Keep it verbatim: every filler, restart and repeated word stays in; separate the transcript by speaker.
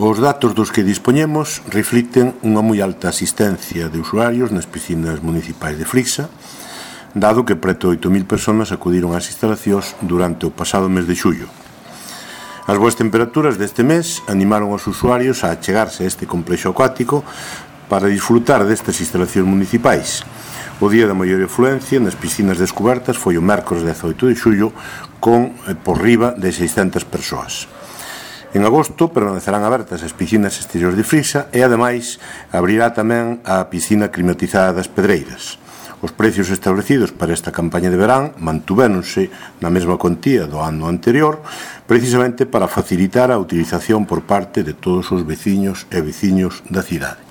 Speaker 1: Os datos dos que dispoñemos reflicten unha moi alta asistencia de usuarios nas piscinas municipais de Frixa, dado que preto de oito mil persoas acudiron ás instalacións durante o pasado mes de xullo. As boas temperaturas deste mes animaron os usuarios a achegarse a este complexo acuático para disfrutar destas instalacións municipais. O día da maior afluencia nas piscinas descubertas foi o mércores dezaoito de xullo con por riba de seiscentas persoas. En agosto permanecerán abertas as piscinas exteriores de Frixa e, ademais, abrirá tamén a piscina climatizada das Pedreiras. Os precios establecidos para esta campaña de verán mantuvéronse na mesma cuantía do ano anterior, precisamente para facilitar a utilización por parte de todos os veciños e veciños da cidade.